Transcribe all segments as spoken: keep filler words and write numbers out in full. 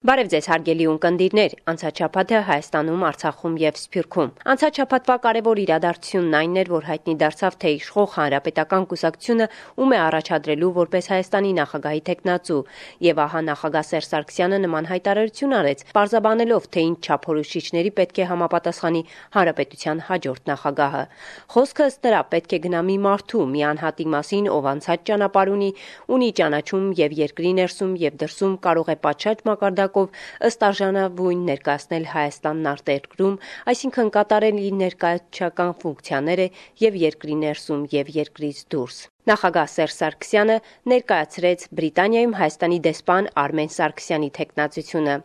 Բարև ձեզ հարգելի ունկնդիրներ, անցած շաբաթը Հայաստանում, Արցախում եւ Սփյուռքում։ Անցած շաբաթվա կարևոր իրադարձությունն այն էր, որ հայտնի դարձավ, թե իշխող Հանրապետական կուսակցությունը ում է առաջադրելու որպես Հայաստանի նախագահի թեկնածու, եւ ահա նախագահ Սերժ Սարգսյանը նման հայտարարություն արեց, պարզաբանելով, թե ինչ չափորոշիչների պետք է համապատասխանի Հանրապետության հաջորդ նախագահը։ Խոսքը ըստ նրա պետք է գնա մի մարդու, մի անհատի մասին, ով անցած ճանապարհ ունի, ունի ճանաչում եւ երկրի ներսում եւ դրսում կարող է պատշաճ մակարդակ ըստ արժանավուն ներկայացնել Հայաստանն արտերկրում, այսինքն կատարել իր ներկայացուցչական ֆունկցիաները եւ երկրի ներսում եւ երկրից դուրս։ Նախագահ Սերժ Սարգսյանը ներկայացրեց Բրիտանիայում Հայաստանի դեսպան Արմեն Սարգսյանի թեկնածությունը։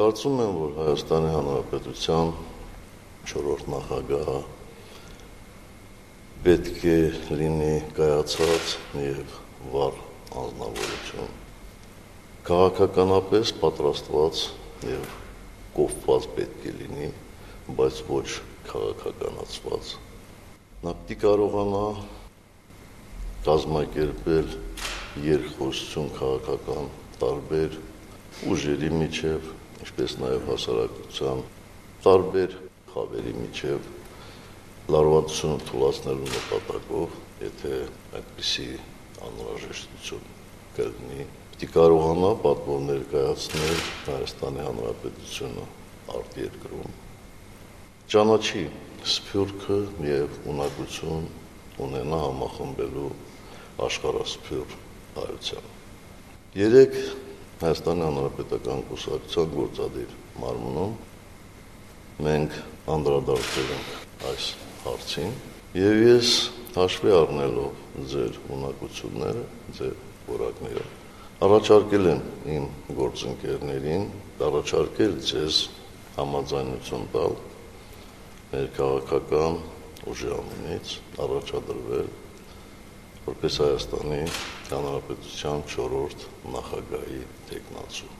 Կարծում եմ, որ Հայաստանի Հանրապետության չորրորդ նախագահը պետք է լինի կայացած եւ վառ անձնավորություն, քաղաքականապես պատրաստված եւ կոփված պետք է լինի, բայց ոչ քաղաքականացված։ Նա պիտի կարողանա կազմակերպել երկխոսություն քաղաքական տարբեր ուժերի միջև, ինչպես նաեւ հասարակության տարբեր խավերի միջև, լարվածությունը թույլատնելու նպատակով, եթե այդպիսի անհրաժեշտություն կլինի, պիտի կարողանա պատվով ներկայացնել Հայաստանի Հանրապետությունը արտերկրում, ճանաչի Սփյուռքը եւ ունակություն ունենա համախմբելու աշխարհասփյուռ հայությանը։ Երեք Հայաստանի Հանրապետական կուսակցության գործադիր մարմնում մենք անդրադարձել ենք այս հարցին եւ ես հաշվի առնելով ձեր ունակությունները, ձեր որակները, առաջարկել եմ իմ գործընկերներին, առաջարկել ձեզ համաձայնություն տալ մեր քաղաքական ուժի անունից առաջադրվել որպես Հայաստանի Հանրապետության չորրորդ նախագահի թեկնածու։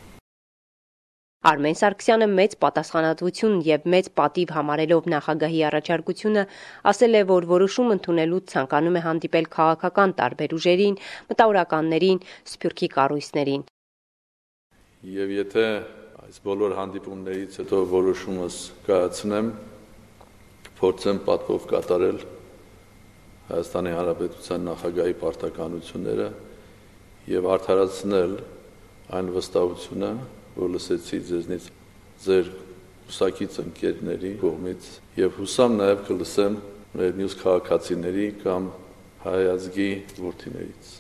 Արմեն Սարգսյանը մեծ պատասխանատվություն եւ մեծ պատիվ համարելով նախագահի առաջարկությունը ասել է, որ որոշում ընդունելուց ցանկանում է հանդիպել քաղաքական տարբեր ուժերին, մտավորականներին, Սփյուռքի կառույցներին։ Եվ եթե այս բոլոր հանդիպումներից հետո որոշումս կայացնեմ, փորձեմ պատվով կատարել Հայաստանի Հանրապետության նախագահի պարտականությունները եւ արդարացնել այն վստահությունը, որ լսեցի ձեզնից ձեր ուսակից ընկերների կողմից եւ հուսամ նաեւ կլսեմ մեր մյուս քաղաքացիների կամ հայ ազգի որդիներից։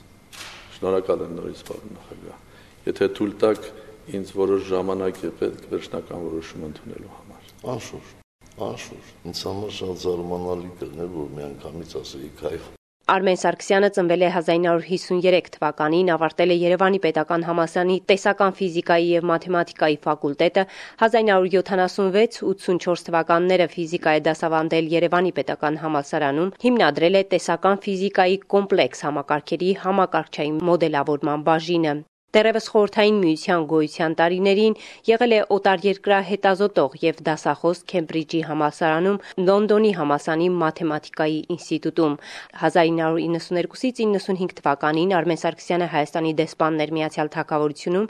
Շնորհակալ եմ նորից, պարոն նախագահ։ Եթե թույլ տաք, ինձ որոշ ժամանակ է պետք վերջնական որոշում ընդունելու համար։ Անշուշտ, անշուշտ։ Ինձ համար շատ զարմանալի կլներ, որ միանգամից ասեի քայֆ։ Արմեն Սարգսյանը ծնվել է հազար ինը հարյուր հիսուներեք թվականին, ավարտել է Երևանի պետական համալսարանի տեսական ֆիզիկայի եւ մաթեմատիկայի ֆակուլտետը, հազար ինը հարյուր յոթանասունվեց ութսունչորս թվականները ֆիզիկա է դասավանդել Երևանի պետական համալսարանում, հիմնադրել է տեսական ֆիզիկայի կոմպլեքս համակարգերի համակարգչային մոդելավորման բաժինը։ Դեռևս խորհրդային միության գոյության տարիներին եղել է օտարերկրյա հետազոտող եւ դասախոս Քեմբրիջի համալսարանում, Լոնդոնի համալսարանի մաթեմատիկայի ինստիտուտում։ հազար ինը հարյուր իննսուներկուսից իննսունհինգ թվականին Արմեն Սարգսյանը Հայաստանի դեսպանն էր Միացյալ Թագավորությունում։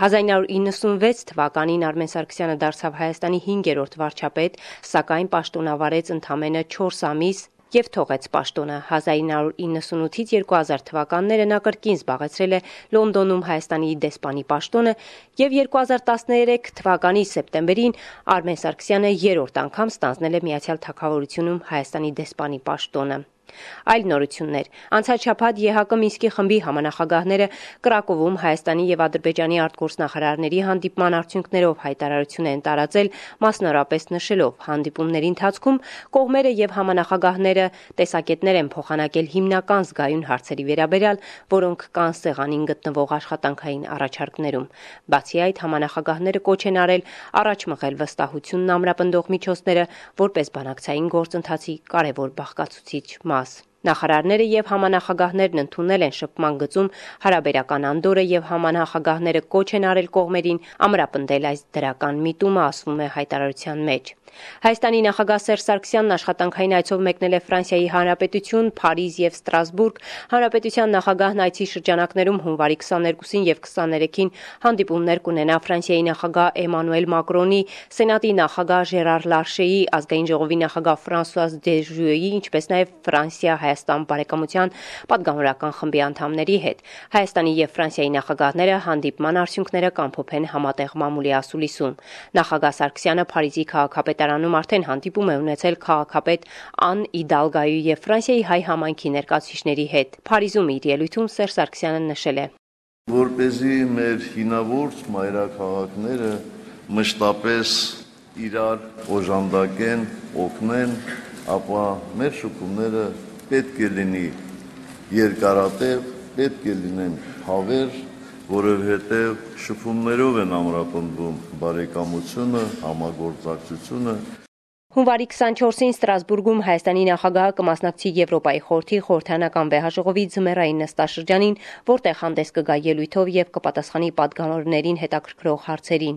հազար ինը հարյուր իննսունվեց թվականին Արմեն Սարգսյանը դարձավ Հայաստանի հինգերորդ վարչապետ, սակայն պաշտոնավարեց ընդամենը չորս ամիս եւ թողեց պաշտոնը։ հազար ինը հարյուր իննսունութից երկու հազար թվականները նա կրկին զբաղեցրել է Լոնդոնում Հայաստանի դեսպանի պաշտոնը եւ երկու հազար տասներեք թվականի սեպտեմբերին Արմեն Սարգսյանը երրորդ անգամ ստանձնել է Միացյալ Թագավորությունում Հայաստանի դեսպանի պաշտոնը։ Այլ նորություններ։ Անցած շաբաթ ԵՀԿ Մինսկի խմբի համանախագահները Կրակովում Հայաստանի եւ Ադրբեջանի արտգործնախարարների հանդիպման արդյունքներով հայտարարություն են տարածել, մասնավորապես նշելով հանդիպումների ընթացքում կողմերը եւ համանախագահները տեսակետներ են փոխանակել հիմնական զգայուն հարցերի վերաբերյալ, որոնք կան սեղանին գտնվող աշխատանքային առաջարկներում։ Բացի այդ, համանախագահները կոչ են արել առաջ մղել վստահությունն ամրապնդող միջոցները որպես բանակցային գործընթացի կարևոր բաղկացուցիչ մաս։ Նախարարները եւ համանախագահներն ընդունել են շփման գծում հարաբերական անդորը եւ համանախագահները կոչ են արել կողմերին ամրապնդել այս դրական միտումը, ասվում է հայտարարության մեջ։ Հայաստանի նախագահ Սերժ Սարգսյանն աշխատանքային այցով մեկնել է Ֆրանսիայի Հանրապետություն, Փարիզ եւ Ստրասբուրգ։ Հանրապետության նախագահն այցի շրջանակներում հունվարի քսաներկուսին եւ քսաներեքին հանդիպումներ կունենա Ֆրանսիայի նախագահ Էմանուել Մակրոնի, Սենատի նախագահ Ժերար Լարշեի, ազգային ժողովի նախագահ Ֆրանսուազ Դեժուեի, ինչպես նաեւ Ֆրանսիա-Հայաստան բարեկամության պատգամավորական խմբի անդամների հետ։ Հայաստանի եւ Ֆրանսիայի նախագահները հանդիպման արդյունքները կամփոփեն համատեղ մամուլի ասուլիսում։ Նախագահ Սարգսյանը Փարիզի քաղաքապետարանում արդեն հանդիպում է ունեցել քաղաքապետ Ան Իդալգոյի եւ Ֆրանսիայի հայ համայնքի ներկայացուցիչների հետ։ Փարիզում իր ելույթում Սերժ Սարգսյանը նշել է. Որպեսզի մեր հինավուրց մայրաքաղաքները մշտապես իրար օժանդակեն, օգնեն, ապա մեր շփումները պետք է լինի երկարատև, պետք է լինեն հավերժ, որովհետև շփումներով են ամրապնդվում բարեկամությունը, համագործակցությունը։ Հունվարի քսանչորսին Ստրասբուրգում Հայաստանի նախագահը կմասնակցի Եվրոպայի խորհրդի խորհրդարանական վեհաժողովի ձմեռային նստաշրջանին, որտեղ հանդես կգա ելույթով եւ կպատասխանի պատգամավորներին հետաքրքրող հարցերին։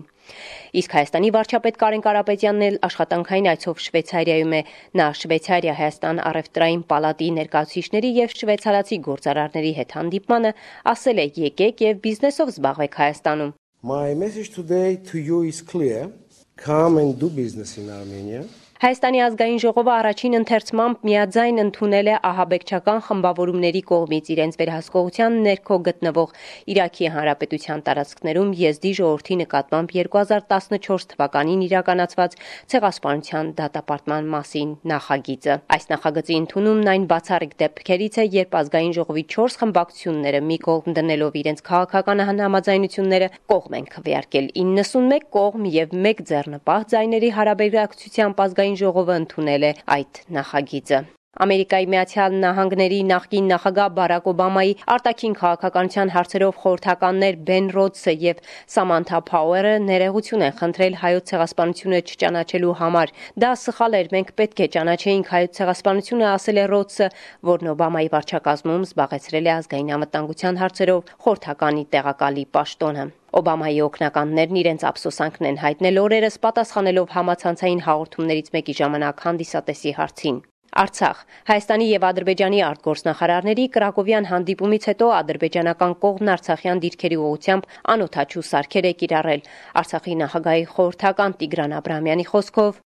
Իսկ Հայաստանի վարչապետ Կարեն Կարապետյանն էլ աշխատանքային այցով Շվեյցարիայում է։ Նա Շվեյցարիա-Հայաստան առևտրային պալատի ներկայացուցիչների եւ շվեյցարացի գործարարների հետ հանդիպմանը ասել է՝ եկեք եւ բիզնեսով զբաղվեք Հայաստանում։ My message today to you is clear. Come and do business in Armenia. Հայաստանի ազգային ժողովը առաջին ընթերցմամբ միաձայն ընդունել է ահաբեկչական խմբավորումների կողմից իրենց վերահսկողության ներքո գտնվող Իրաքի Հանրապետության տարածքներում եզդի ժողովրդի նկատմամբ երկու հազար տասնչորս թվականին իրականացված ցեղասպանության դատապարտման մասին նախագիծը։ Այս նախագծի ընդունումն այն բացառիկ դեպքերից է, երբ ազգային ժողովի չորս խմբակցությունները մի կողմ դնելով իրենց քաղաքական համաձայնությունները կողմ են քվեարկել իննսունմեկ կողմ եւ մեկ ձեռնպահ ձայների հարաբերակցությամբ ազգային ժողովը ընդունել է այդ նախագիծը։ Ամերիկայի Միացյալ Նահանգների նախկին նախագահ Բարակ Օբամայի արտաքին քաղաքականության հարցերով խորհրդականներ Բեն Ռոդսը եւ Սամանթա Փաուերը ներողություն են խնդրել հայոց ցեղասպանությունը չճանաչելու համար։ Դա սխալ էր, մենք պետք է ճանաչեինք հայոց ցեղասպանությունը, ասել է Ռոդսը, որն Օբամայի վարչակազմում զբաղեցրել է ազգային անվտանգության հարցերով խորհրդականի տեղակալի պաշտոնը։ Օբամայի օգնականներն իրենց ափսոսանքն են հայտնել օրերս պատասխանելով համացանցային հաղորդումներից մեկի ժամանակ հանդիսատեսի հարցին։ Արցախ Հայաստանի եւ Ադրբեջանի արտգործնախարարների Կրակովյան հանդիպումից հետո ադրբեջանական կողմն արցախյան դիրքերի ուղղությամբ անօթաչու սարքեր է կիրառել։ Արցախի նախագահի խորհրդական Տիգրան Աբրահամյանի խոսքով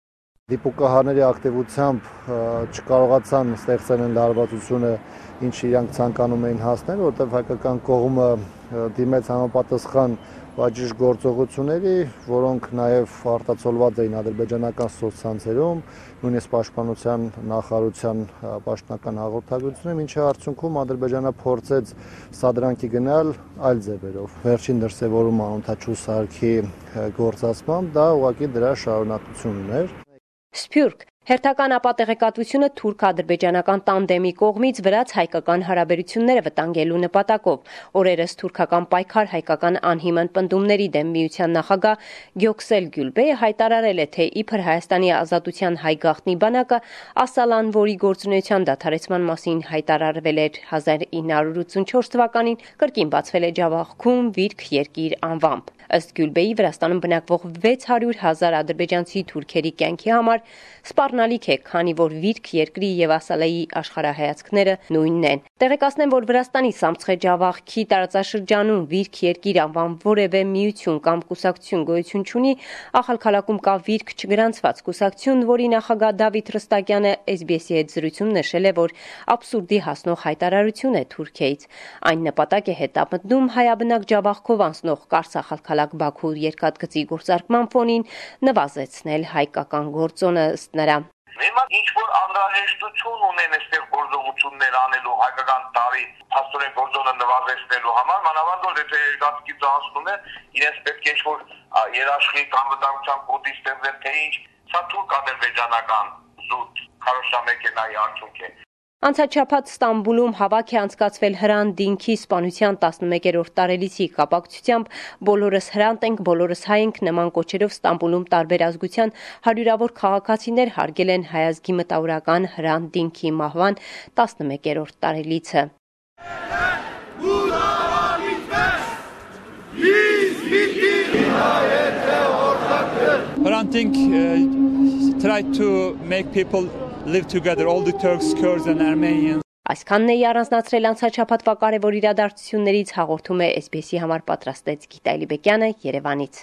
դիպուկահարների ակտիվությամբ չկարողացան ստեղծել են լարվածությունը, ինչ իրանք ցանկանում էին հասնել, որտեղ հայկական կողմը դիմեց համապատասխան բաժիշտ գործողությունների, որոնք նաև արտացոլված էին ադրբեջանական սոցցանցերում, նույնիսկ պաշտպանության նախարարության պաշտոնական հաղորդագրությունում, ինչի արդյունքում Ադրբեջանը փորձեց սադրանքի գնալ այլ ձևերով։ Վերջին դրսևորումը անօթաչու սարքի գործածմամբ դա ուղղակի դրա շարունակությունն էր։ Սփյուռք Հերթական ապատեղեկատվությունը թուրք-ադրբեջանական տանդեմի կողմից վրաց-հայկական հարաբերությունները վտանգելու նպատակով օրերս թուրքական պայքար հայկական անհիմն պնդումների դեմ միության նախագահ Գյոքսել Գյուլբեյը հայտարարել է, թե իբր Հայաստանի ազատության հայ գաղտնի բանակը Ասալան, որի գործունեության դադարեցման մասին հայտարարվել էր հազար ինը հարյուր ութսունչորս թվականին, կրկին բացվել է Ջավախքում Վիրք երկիր անվամբ։ Ըստ Գյուլբեյի Վրաստանում բնակվող վեց հարյուր հազար ադրբեջանցի թուրքերի կյանքի համար սպառնալիք է, քանի որ Վիրք երկրի եւ Ասալայի աշխարհայացքները նույնն են։ Տեղեկացնեմ, որ Վրաստանի Սամցխե-Ջավախքի տարածաշրջանում Վիրք երկիր անվան որևէ միություն կամ կուսակցություն գոյություն չունի, Ախալքալաքում կա Վիրք չգրանցված կուսակցություն, որի նախագահ Դավիթ Ռստակյանը էս բի էս-ի հետ զրույցում նշել է, որ աբսուրդի հասնող հայտարարություն է Թուրքիայից։ Այն նպատակ է հետապնդում հայաբնակ Ջավախքով անցնող Կարս-Ախալքալակ-Բաքու երկաթգծի գործարկման ֆոնին նվազեցնել հայկական գործոնը ըստ նրա։ Հիմա ինչ որ անհրաժեշտություն ունեն այստեղ գործողություններ անելու հայկական տարի փաստորեն գործոնը նվազեցնելու համար, մանավանդ որ եթե երկաթգիծը հասնում է, իրենց պետք է ինչ-որ երաշխիք անվտանգության կոդի ստեղծեն, թե ինչ, սա թուրք-ադրբեջանական զուտ քարոշամեքենայի արդյունք է։ Անցաչափած Ստամբուլում հավաք է անցկացվել Հրանտ Դինքի սպանության տասնմեկերորդ տարելիցի կապակցությամբ բոլորս Հրանտ ենք, բոլորս հայ ենք նման կոչերով Ստամբուլում տարբեր ազգության հարյուրավոր քաղաքացիներ հարգել են հայազգի մտավորական Հրանտ Դինքի մահվան տասնմեկերորդ տարելիցը։ Hrant Dink uh, tried to make people live together, all the Turks, Kurds and Armenians. Այսքանն էի առանձնացրել անցաչափածվա կարևոր իրադարձություններից հաղորդում է էս բի էսի համար պատրաստեց Գիտալի Բեկյանը Երևանից։